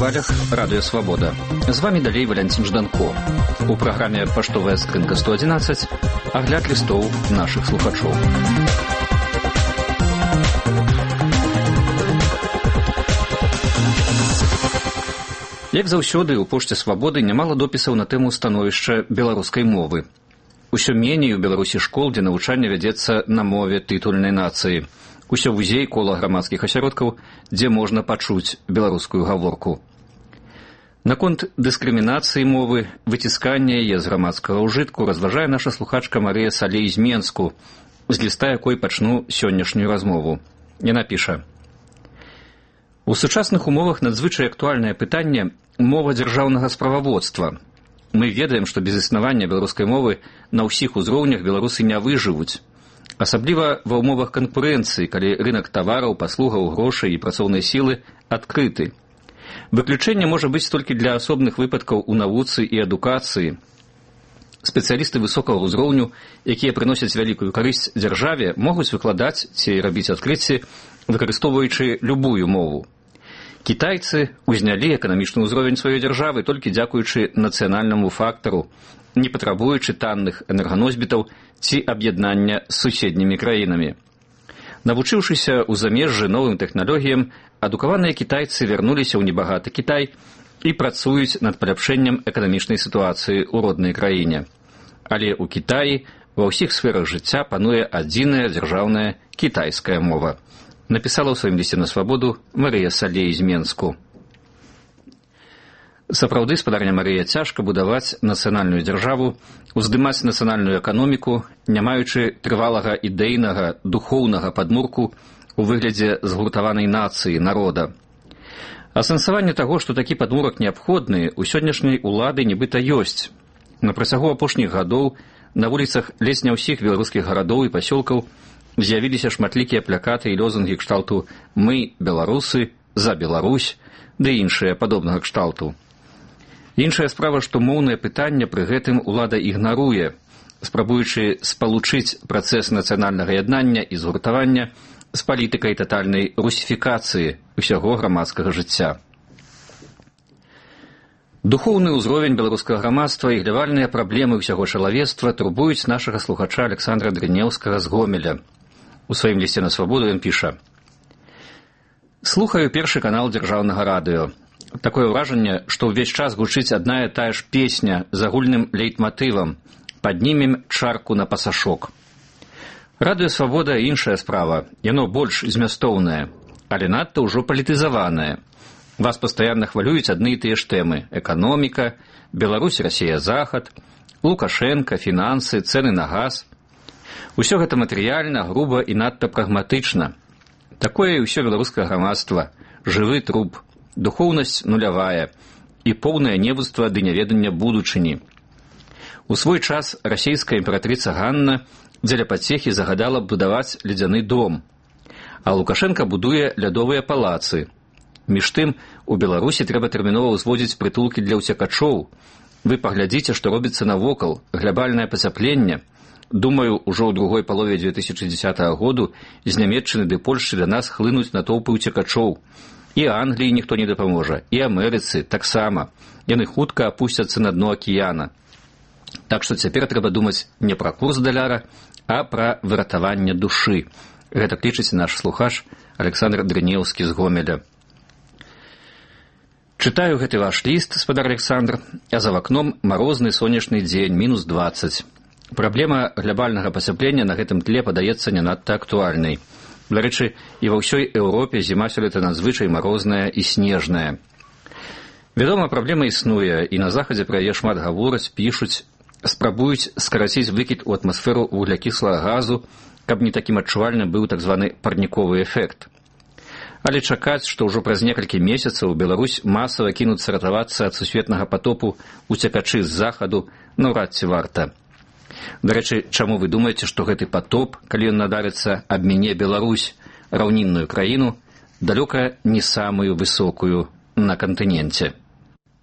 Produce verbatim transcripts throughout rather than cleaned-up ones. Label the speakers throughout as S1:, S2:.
S1: хвалях радыё «Свабода». З вамі далей Валянцін Жданко. У праграме «Паштовая скрынка сто адзінаццаць» агляд лістоў нашых слухачоў. Як заўсёды, у пошце «Свабоды» нямала допісаў на тэму становішча беларускай мовы. Усё меней у Беларусі школ, дзе навучанне вядзецца на мове тытульнай нацыі. Усё вузей кола грамадскіх асяродкаў, дзе можна пачуць беларускую гаворку. Наконт дыскрымінацыі мовы, выціскання яе з грамадскага ўжытку разважае наша слухачка Марыя Салей з Менску, з ліста якой пачну сённяшнюю размову. Яна піша: у сучасных умовах надзвычай актуальнае пытанне мова дзяржаўнага справаводства. Мы ведаем, што без існавання беларускай мовы на ўсіх узроўнях беларусы не выжывуць. Асабліва ва ўмовах канкурэнцыі, калі рынак тавараў, паслугаў, грошай і працоўнай сілы адкрыты. Выключэнне можа быць толькі для асобных выпадкаў у навуцы і адукацыі. Спецыялісты высокага ўзроўню, якія прыносяць вялікую карысць дзяржаве, могуць выкладаць ці рабіць адкрыцці, выкарыстоўваючы любую мову. Кітайцы ўзнялі эканамічны ўзровень сваёй дзяржавы толькі дзякуючы нацыянальнаму фактару, не патрабуючы танных энерганосьбітаў ці аб'яднання з суседнімі краінамі. Навучыўшыся ў замежжы новым тэхналогіям, адукаваныя кітайцы вярнуліся ў небагаты Кітай і працуюць над паляпшэннем эканамічнай сітуацыі ў роднай краіне. Але ў Кітаі ва ўсіх сферах жыцця пануе адзіная дзяржаўная кітайская мова. Напісала ў сваім лісце на «Свабоду» Марыя Салей з Менску. Сапраўды, спадарня Марыя, цяжка будаваць нацыянальную дзяржаву, уздымаць нацыянальную эканоміку, не маючы трывалага ідэйнага, духоўнага падмурку у выглядзе згуртаванай нацыі, народа. Асэнсаванне таго, што такі падмурак неабходны, у сённяшняй улады нібыта ёсць. На працягу апошніх гадоў на вуліцах ледзь не ўсіх беларускіх гарадоў і пасёлкаў з'явіліся шматлікія плакаты і лозунгі кшталту «Мы, беларусы, за Беларусь» ды іншыя падобнага кшталту. Іншая справа, што моўнае пытанне пры гэтым улада ігнаруе, спрабуючы спалучыць працэс нацыянальнага яднання і згуртавання з палітыкай татальнай русіфікацыі ўсяго грамадскага жыцця. Духоўны ўзровень беларускага грамадства і глявальныя праблемы ўсяго чалавецтва турбуюць нашага слухача Александра Дрынеўскага з Гомеля. У сваім лісце на «Свабоду» ён піша: «Слухаю першы канал дзяржаўнага радыё. Такое ўражанне, што ўвесь час гучыць адна і тая ж песня з агульным лейтматывам «Паднімем чарку на пасашок». Радыё «Свабода» – іншая справа, яно больш змястоўнае, але надта ўжо палітызаванае. Вас пастаянна хвалююць адны і тыя ж тэмы – эканоміка, Беларусь, Расія, Захад, Лукашенка, фінансы, цэны на газ. Усё гэта матэрыяльна, груба і надта прагматычна. Такое і ўсё беларускае грамадства, жывы труп, духоўнасць нулявая і поўнае невуцтва ды няведання будучыні. У свой час расійская імператрыца Ганна дзеля пацехі загадала будаваць ледзяны дом, а Лукашенка будуе лядовыя палацы. Між тым, у Беларусі трэба тэрмінова ўзводзіць прытулкі для ўцякачоў. Вы паглядзіце, што робіцца навокал, глябальнае пацяпленне. Думаю, ужо ў другой палове две тысячы дзесятага году з Нямецчыны ды Польшчы да нас хлынуць натоўпы ўцякачоў. І Англіі ніхто не дапаможа, і Амерыцы таксама. Яны хутка апусцяцца на дно акіяна. Так што цяпер трэба думаць не пра курс даляра, а пра выратаванне душы. Гэта лічыць наш слухач Александр Дрынеўскі з Гомеля. Чытаю гэты ваш ліст, спадар Александр, а за вакном марозны сонечны дзень, мінус дваццаць. Праблема глябальнага пацяплення на гэтым тле падаецца не надта актуальнай. Дарэчы, і ва ўсёй Еўропе зіма сёлета надзвычай марозная і снежная. Вядома, праблема існуе, і на захадзе пра яе шмат гавораць, пішуць, спрабуюць скараціць выкід у атмасферу вуглякіслага газу, каб не такім адчувальным быў так званы парніковы эфект. Але чакаць, што ўжо праз некалькі месяцаў Беларусь масава кінуцца ратавацца ад сусветнага патопу уцякачы з захаду, наўрад ці варта. Дарэчы, чаму вы думаеце, што гэты патоп, калі ён надарыцца, абміне Беларусь, раўнінную краіну, далёка не самую высокую на кантыненце?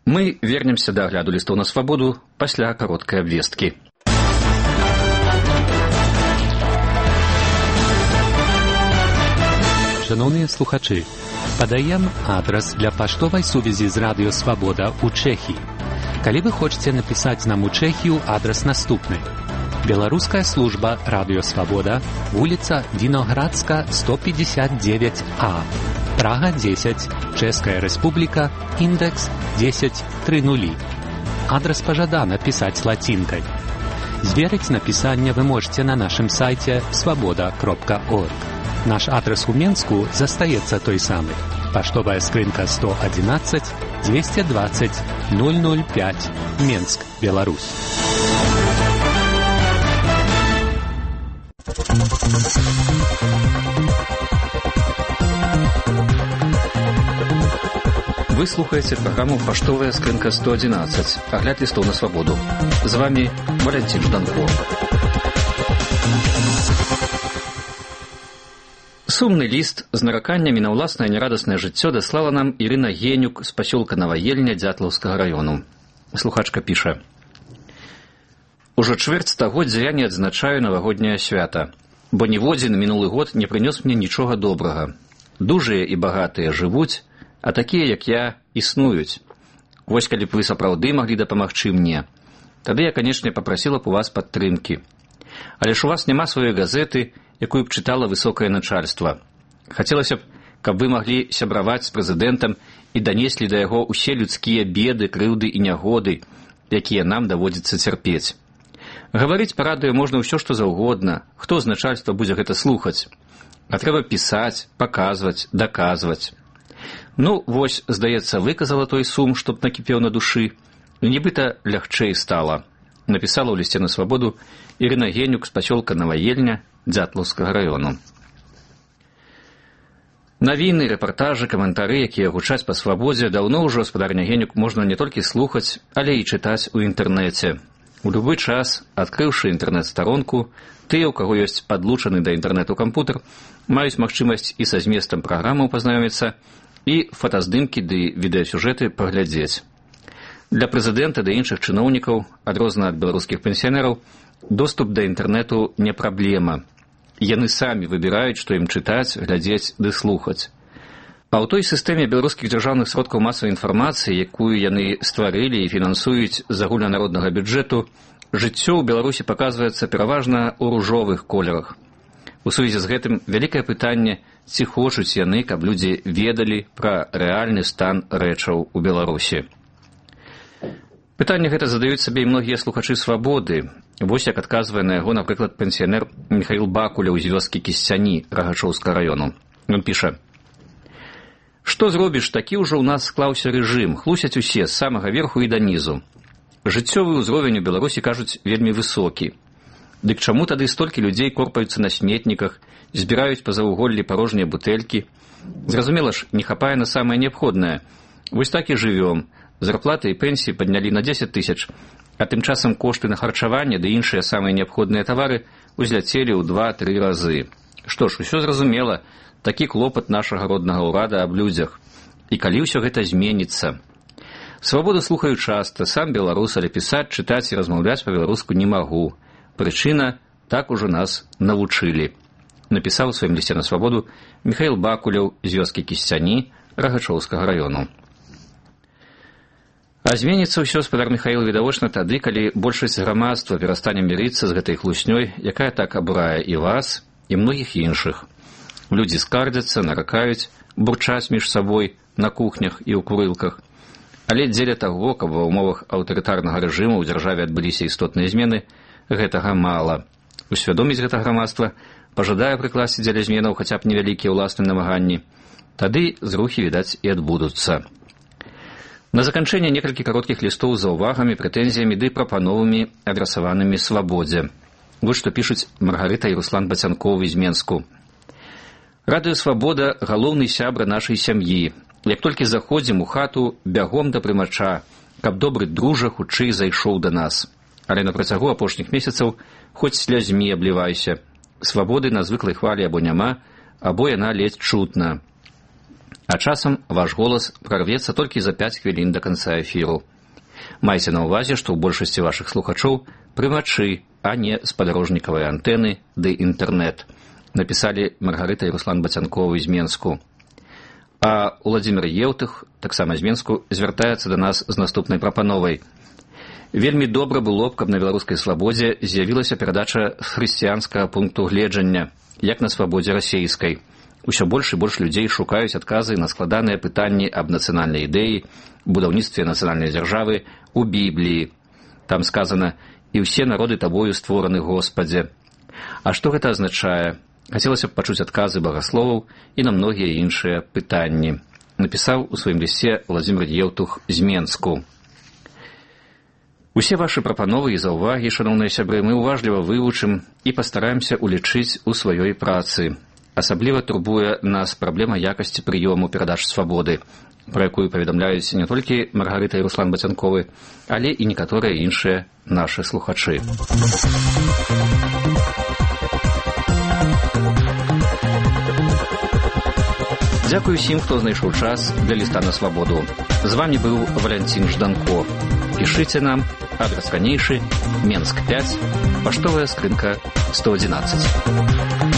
S1: Мы вернемся да агляду лістоў на «Свабоду» пасля кароткай абвесткі.
S2: Шановні слухачі, Падаем адрас для паштовай сувязі з Радыё Свабода ў Чэхіі. Калі вы хочаце напісаць нам у Чэхію, адрас наступны. Беларуская служба Радыё Свабода, вуліца Віноградска, сто пятьдесят девять А, Прага десять, Чэшская Рэспубліка, індекс десять тридцать. Адрас пажадана пісаць лацінкай. Зверыць напісанне вы можете на нашым сайце свабода кропка орг. Наш адрес у Менску застаецца той самы. Паштовая скрынка сто одиннадцать двести двадцать ноль ноль пять, Менск, Беларусь.
S1: Вы слухаете программу «Паштовая скрынка сто одиннадцать», огляд листов на свободу. С вами Валентин Жданко. Сумны ліст з нараканнямі на ўласнае нерадаснае жыццё даслала нам Ірына Генюк з пасёлка Наваельня Дзятлаўскага раёну. Слухачка піша: «Ужо чвэрць стагоддзя я не адзначаю навагодняе свята, бо ніводзін мінулы год не прынёс мне нічога добрага. Дужыя і багатыя жывуць, а такія, як я, існуюць. Вось калі б вы сапраўды маглі дапамагчы мне, тады я, канечне, папрасіла б у вас падтрымкі. Але ж у вас няма сваёй газеты, якую б чытала высокае начальства. Хацелася б, каб вы маглі сябраваць з прэзідэнтам і данеслі да яго ўсе людскія беды, крыўды і нягоды, якія нам даводзіцца цярпець. Гаварыць па радыё можна ўсё, што заўгодна, хто з начальства будзе гэта слухаць. А трэба пісаць, паказваць, даказваць. Ну, вось, здаецца, выказала той сум, што б накіпеў на душы, і нібыта лягчэй стала. Напісала ў лісце на свабоду Ірына Генюк з пасёлка Наваельня Дзятлаўскага раёну. Навіны, рэпартажы, каментары, якія гучаць па свабодзе, даўно ўжо, гаспадарня Генюк, можна не толькі слухаць, але і чытаць у інтэрнэце. У любы час, адкрыўшы інтэрнэт-старонку, тыя, у каго ёсць падлучаны да інтэрнэту кампутер, маюць магчымасць і са зместам праграмаў пазнаёміцца, і фотаздымкі ды відэасюжэты паглядзець. Для прэзідэнта ды іншых чыноўнікаў, адрозна ад беларускіх пенсіянераў, доступ да інтэрнэту не праблема. Яны самі выбіраюць, што ім чытаць, глядзець ды слухаць. А ў той сістэме беларускіх дзяржаўных сродкаў масавай інфармацыі, якую яны стварылі і фінансуюць з агульнанароднага бюджэту, жыццё ў Беларусі паказваецца пераважна ў ружовых колерах. У сувязі з гэтым вялікае пытанне, ці хочуць яны, каб людзі ведалі пра рэальны стан рэчаў у Беларусі. Пытанне гэта задаюць сабе і многія слухачы свабоды. Вось як адказвае на яго, напрыклад, пенсіянер Михаил Бакуляў з вёскі Кісцяні Рагачоўскага раёну. Ён піша: «Што зробіш, такі ўжо ў нас склаўся рэжым, хлусяць усе з самага верху і да нізу. Жыццёвы ўзровень у Беларусі, кажуць, вельмі высокі. Дык чаму тады столькі людзей корпаюцца на сметніках, збіраюць па заўваголлі парожнія бутэлькі? Зразумела ж, не хапае на самае неабходнае. Вось так і жывём. Зарплаты і пенсіі паднялі на дзесяць тысяч, а тым часам кошты на харчаванне ды іншыя самыя неабходныя тавары узляцелі ў два-тры разы. Што ж, усё зразумела, такі клопат нашага роднага ўрада аб людзях. І калі ўсё гэта зменіцца? Свабоду слухаю часта, сам беларус, але пісаць, чытаць і размаўляць па-беларуску не магу. Прычына, так ужо нас навучылі. Напісаў у сваім лісце на свабоду Михаил Бакуляў з вёскі Кісцяні Рагачоўскага раёну. А зменіцца ўсё, гаспадар Михаил, відавочна тады, калі большасць грамадства перастане мірыцца з гэтай хлуснёй, якая так абурае і вас, і многіх іншых. Людзі скардзяцца, наракаюць, бурчаць між сабой на кухнях і ў курылках. Але дзеля таго, каб ва ўмовах аўтарытарнага рэжыму ў дзяржаве адбыліся істотныя змены, гэтага мала. Усвядоміць гэта грамадства, пажадае прыкласці дзеля зменаў хаця б невялікія ўласныя намаганні, тады зрухі, відаць, і адбудуцца. На заканчэнне некалькі кароткіх лістоў з заўвагамі, прэтэнзіямі ды прапановамі, адрасаванымі свабодзе. Вот што пішуць Маргарыта і Руслан Бацянковы з Менску. «Радыё Свабода – галоўны сябра нашай сям'і. Як толькі заходзім у хату, бягом да прымача, каб добры дружа хутчэй зайшоў да нас. Але на працягу апошніх месяцаў хоць слязьмі аблівайся. Свабоды на звыклай хвалі або няма, або яна ледзь чутна. А часам ваш голас прарвецца толькі за пяць хвілін да канца эфіру. Майце на ўвазе, што ў большасці вашых слухачоў прымачы, а не спадарожнікавыя антэны ды інтэрнэт», напісалі Маргарыта і Руслан Бацянковы з Менску. А Уладзімір Еўтых, таксама з Менску, звяртаецца да нас з наступнай прапановай. Вельмі добра было б, каб на беларускай свабодзе з'явілася перадача з хрысціянскага пункту гледжання, як на свабодзе расейскай. Усё больш і больш людзей шукаюць адказы на складаныя пытанні аб нацыянальнай ідэі, будаўніцтве нацыянальнай дзяржавы у Бібліі. Там сказана: «І ўсе народы табою створаны, Господзе». А што гэта азначае? Хацелася б пачуць адказы багасловаў і на многія іншыя пытанні. Напісаў у сваім лісце Уладзімір Еўтух з Менску. Усе вашы прапановы і заўвагі, шаноўныя сябры, мы уважліва вывучым і пастараемся улічыць у сваёй працы. Асабліва турбуе нас праблема якасці прыёму перадач свабоды, пра якую паведамляюць не толькі Маргарыта і Руслан Бацянковы, але і некаторыя іншыя нашы слухачы. Дзякую усім, хто знайшоў час для ліста на свабоду. З вамі быў Валянцін Жданко. Пішыце нам, адрас ранейшы, Менск пяць, паштовая скрынка сто адзінаццаць.